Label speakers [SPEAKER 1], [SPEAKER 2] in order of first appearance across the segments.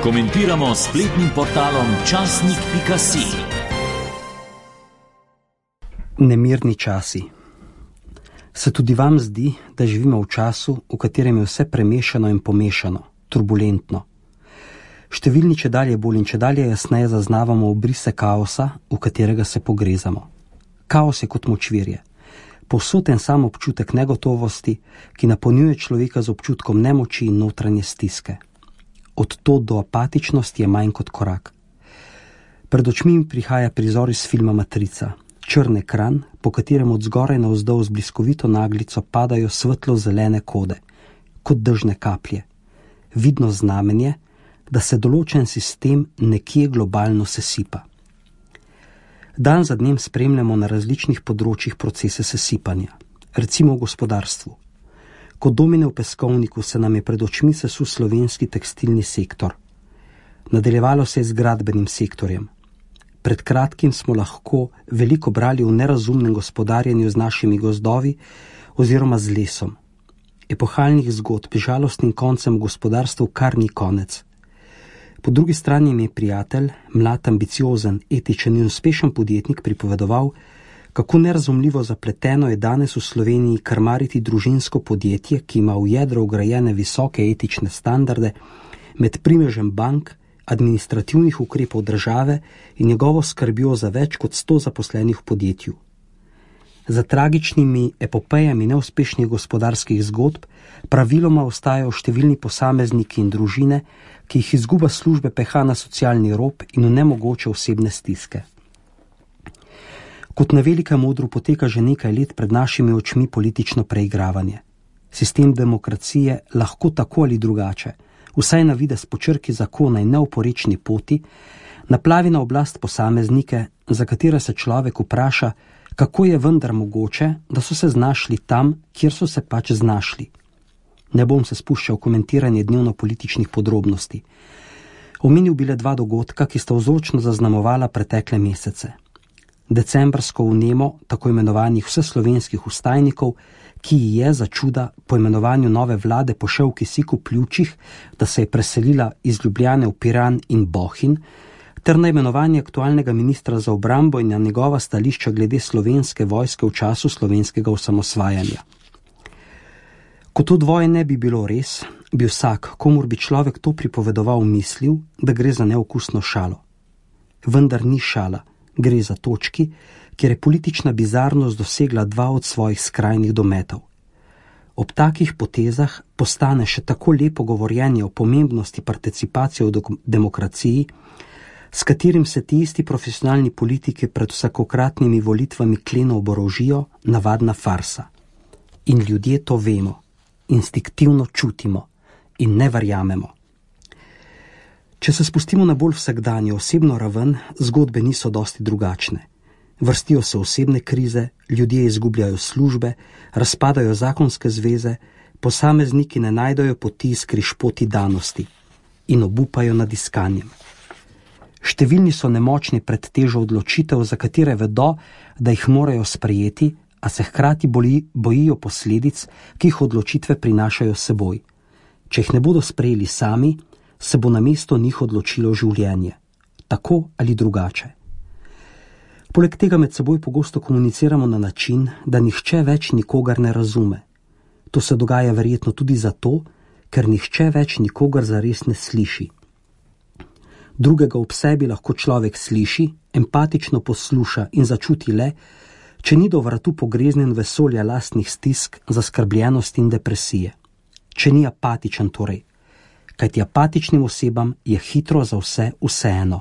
[SPEAKER 1] Komentiramo s spletnim portalom časnik.si.
[SPEAKER 2] Nemirni časi. Se tudi vam zdi, da živimo v času, v katerem je vse premešano in pomešano, turbulentno? Številni čedalje bolj in čedalje jasneje zaznavamo obrise kaosa, v katerega se pogrezamo. Kaos je kot močvirje. Povsod en sam občutek negotovosti, ki napolnjuje človeka z občutkom nemoči in notranje stiske. Od tod do apatičnosti je manj kot korak. Pred očmi mi prihaja prizor iz filma Matrica. Črn ekran, po katerem od zgoraj navzdol z bliskovito naglico padajo svetlo-zelene kode, kot dežne kaplje. Vidno znamenje, da se določen sistem nekje globalno sesipa. Dan za dnem spremljamo na različnih področjih procese sesipanja, recimo v gospodarstvu. Kot domine v peskovniku se nam je pred očmi sesul slovenski tekstilni sektor. Nadaljevalo se je z gradbenim sektorjem. Pred kratkim smo lahko veliko brali o nerazumnem gospodarjenju z našimi gozdovi oziroma z lesom. Epohalnih zgodb z žalostnim koncem v gospodarstvu kar ni konec. Po drugi strani mi je prijatelj, mlad, ambiciozen, etičen in uspešen podjetnik pripovedoval, kako nerazumljivo zapleteno je danes v Sloveniji krmariti družinsko podjetje, ki ima v jedro vgrajene visoke etične standarde, med primežem bank, administrativnih ukrepov države in njegovo skrbjo za več kot 100 zaposlenih v podjetju. Za tragičnimi epopejami neuspešnih gospodarskih zgodb praviloma ostajajo številni posamezniki in družine, ki jih izguba službe peha na socialni rob in v nemogoče osebne stiske. Kot na velikem odru poteka že nekaj let pred našimi očmi politično preigravanje. Sistem demokracije lahko tako ali drugače, vsaj na videz po črki zakona in neoporečni poti, naplavi na oblast posameznike, za katere se človek vpraša, kako je vendar mogoče, da so se znašli tam, kjer so se pač znašli. Ne bom se spuščal v komentiranje dnevno-političnih podrobnosti. Omenil bi le 2 dogodka, ki sta vzročno zaznamovala pretekle mesece. Decembrsko vnemo tako imenovanih vseslovenskih vstajnikov, ki je za čuda po imenovanju nove vlade pošel v kisiku pljučih, da se je preselila iz Ljubljane v Piran in Bohinj, ter na imenovanje aktualnega ministra za obrambo in na njegova stališča glede slovenske vojske v času slovenskega osamosvajanja. Ko to dvoje ne bi bilo res, bi vsak, komur bi človek to pripovedoval, mislil, da gre za neokusno šalo. Vendar ni šala, gre za točki, kjer je politična bizarnost dosegla 2 od svojih skrajnih dometov. Ob takih potezah postane še tako lepo govorjenje o pomembnosti participacije v demokraciji, s katerim se ti isti profesionalni politiki pred vsakokratnimi volitvami kleno oborožijo, navadna farsa. In ljudje to vemo, instinktivno čutimo in ne verjamemo. Če se spustimo na bolj vsakdanjo osebno raven, zgodbe niso dosti drugačne. Vrstijo se osebne krize, ljudje izgubljajo službe, razpadajo zakonske zveze, posamezniki ne najdejo poti iz križpoti danosti in obupajo nad iskanjem. Številni so nemočni pred težo odločitev, za katere vedo, da jih morajo sprejeti, a se hkrati bojijo posledic, ki jih odločitve prinašajo s seboj. Če jih ne bodo sprejeli sami, se bo namesto njih odločilo življenje, tako ali drugače. Poleg tega med seboj pogosto komuniciramo na način, da nihče več nikogar ne razume. To se dogaja verjetno tudi zato, ker nihče več nikogar zares ne sliši. Drugega ob sebi lahko človek sliši, empatično posluša in začuti le, če ni do vratu pogreznjen vesolja lastnih stisk, zaskrbljenosti in depresije. Če ni apatičen torej, kajti apatičnim osebam je hitro za vse vseeno.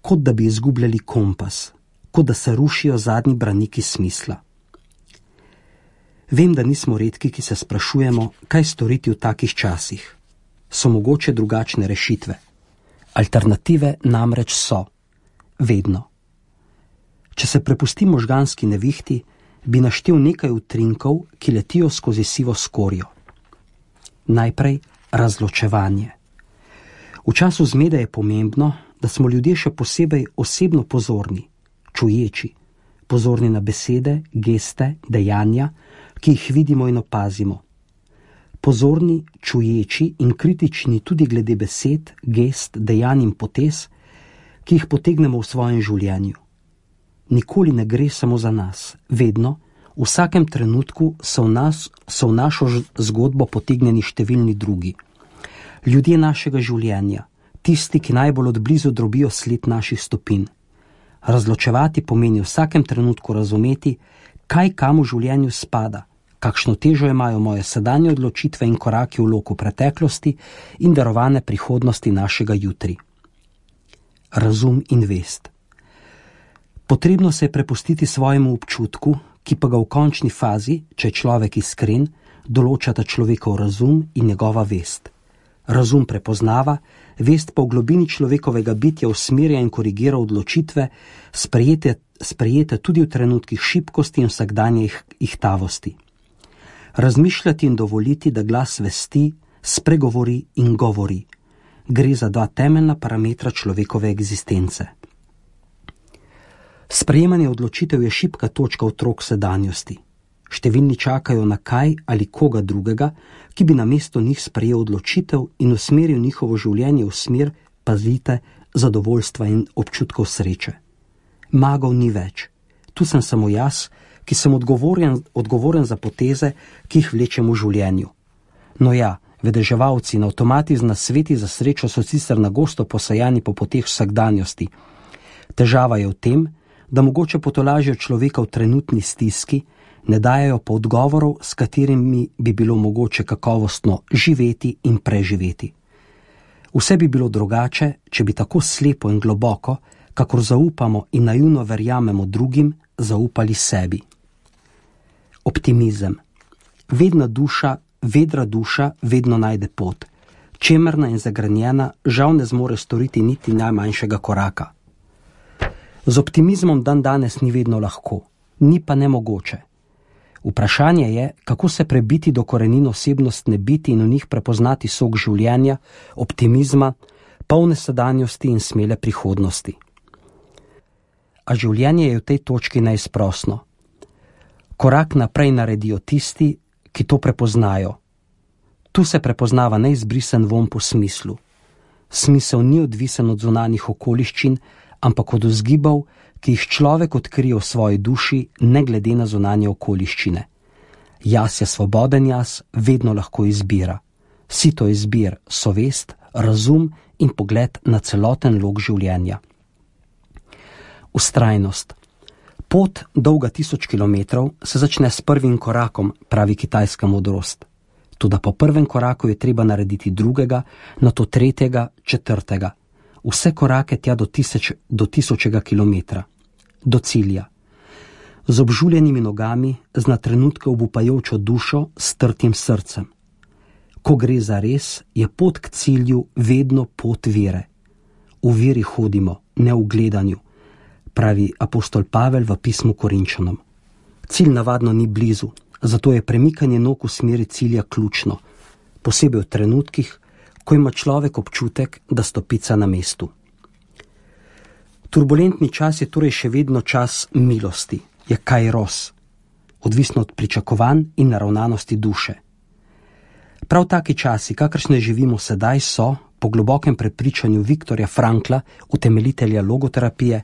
[SPEAKER 2] Kot da bi izgubljali kompas, kot da se rušijo zadnji braniki smisla. Vem, da nismo redki, ki se sprašujemo, kaj storiti v takih časih. So mogoče drugačne rešitve? Alternative namreč so. Vedno. Če se prepustimo možganski nevihti, bi naštel nekaj utrinkov, ki letijo skozi sivo skorjo. Najprej razločevanje. V času zmede je pomembno, da smo ljudje še posebej osebno pozorni, čuječi, pozorni na besede, geste, dejanja, ki jih vidimo in opazimo. pozorni, čuječi in kritični tudi glede besed, gest, dejanj in potez, ki jih potegnemo v svojem življenju. Nikoli ne gre samo za nas, vedno, v vsakem trenutku so v našo zgodbo potegnjeni številni drugi. Ljudje našega življenja, tisti, ki najbolj odblizu drobijo sled naših stopinj. Razločevati pomeni v vsakem trenutku razumeti, kaj kam v življenju spada, kakšno težo imajo moje sedanje odločitve in koraki v loku preteklosti in darovane prihodnosti našega jutri. Razum in vest. Potrebno se je prepustiti svojemu občutku, ki pa ga v končni fazi, če je človek iskren, določata človekov razum in njegova vest. Razum prepoznava, vest pa v globini človekovega bitja usmerja in korigira odločitve, sprejete tudi v trenutkih šibkosti in vsakdanje ihtavosti. Razmišljati in dovoliti, da glas vesti, spregovori in govori. Gre za dva temeljna parametra človekove egzistence. Sprejemanje odločitev je šibka točka otrok sedanjosti. Številni čakajo na kaj ali koga drugega, ki bi namesto njih sprejel odločitev in usmeril njihovo življenje v smer, pazite, zadovoljstva in občutkov sreče. Magov ni več. Tu sem samo jaz, ki sem odgovoren za poteze, ki jih vlečem v življenju. No ja, vedeževalci in avtomati z nasveti za srečo so sicer nagosto posajani po poteh vsakdanjosti. Težava je v tem, da mogoče potolažijo človeka v trenutni stiski, ne dajajo pa odgovorov, s katerimi bi bilo mogoče kakovostno živeti in preživeti. Vse bi bilo drugače, če bi tako slepo in globoko, kakor zaupamo in naivno verjamemo drugim, zaupali sebi. Optimizem. Vedra duša vedno najde pot. Čemerna in zagrenjena žal ne zmore storiti niti najmanjšega koraka. Z optimizmom danes ni vedno lahko, ni pa nemogoče. Vprašanje je, kako se prebiti do korenin osebnostne biti in v njih prepoznati sok življenja, optimizma, polne sedanjosti in smele prihodnosti. A življenje je v tej točki neizprosno. Korak naprej naredijo tisti, ki to prepoznajo. Tu se prepoznava neizbrisen vonj po smislu. Smisel ni odvisen od zunanjih okoliščin, ampak od vzgibov, ki jih človek odkrije v svoji duši, ne glede na zunanje okoliščine. Jaz je svoboden jaz, vedno lahko izbira. Sito izbir so vest, razum in pogled na celoten lok življenja. Vztrajnost. Pot, dolga 1000 kilometrov, se začne s prvim korakom, pravi kitajska modrost. Toda po prvem koraku je treba narediti drugega, nato tretjega, četrtega. Vse korake tja do 1000 kilometra. Do cilja. Z obžuljenimi nogami, z na trenutke obupajočo dušo, s trtim srcem. Ko gre za res, je pot k cilju vedno pot vere. V veri hodimo, ne v gledanju, pravi apostol Pavel v pismu Korinčanom. Cilj navadno ni blizu, zato je premikanje nog v smeri cilja ključno, posebej v trenutkih, ko ima človek občutek, da stopica na mestu. Turbulentni čas je torej še vedno čas milosti, je kairos, odvisno od pričakovanj in naravnanosti duše. Prav taki časi, kakršne živimo sedaj, so, po globokem prepričanju Viktorja Frankla, utemeljitelja logoterapije,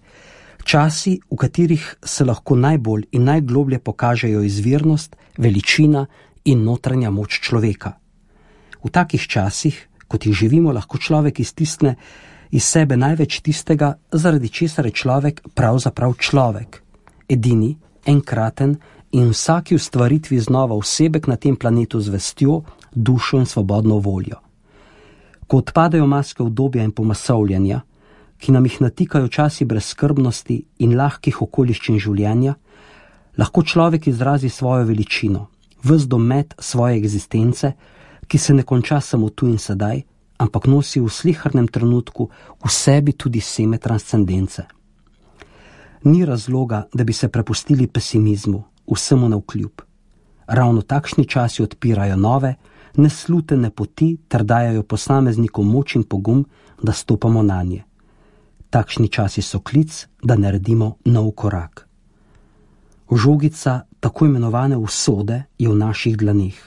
[SPEAKER 2] časi, v katerih se lahko najbolj in najgloblje pokažejo izvirnost, veličina in notranja moč človeka. V takih časih, kot jih živimo, lahko človek iztisne iz sebe največ tistega, zaradi česar je človek pravzaprav človek. Edini, enkraten in vsaki ustvaritvi znova osebek na tem planetu z vestjo, dušo in svobodno voljo. Ko odpadajo maske udobja in pomasovljanja, ki nam jih natikajo časi brezskrbnosti in lahkih okoliščin življenja, lahko človek izrazi svojo veličino, ves domet svoje egzistence, ki se ne konča samo tu in sedaj, ampak nosi v slehernem trenutku v sebi tudi seme transcendence. Ni razloga, da bi se prepustili pesimizmu, vsemu navkljub. Ravno takšni časi odpirajo nove, neslutene poti ter dajajo posameznikom moč in pogum, da stopamo nanje. Takšni časi so klic, da naredimo nov korak. Žogica tako imenovane usode je v naših dlaneh.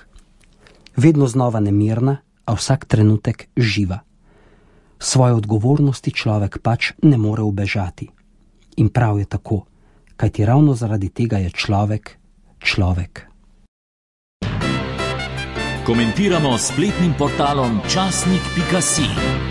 [SPEAKER 2] Vedno znova nemirna, a vsak trenutek živa. Svoje odgovornosti človek pač ne more ubežati. In prav je tako, kajti ravno zaradi tega je človek človek.
[SPEAKER 1] Komentiramo s spletnim portalom časnik.si.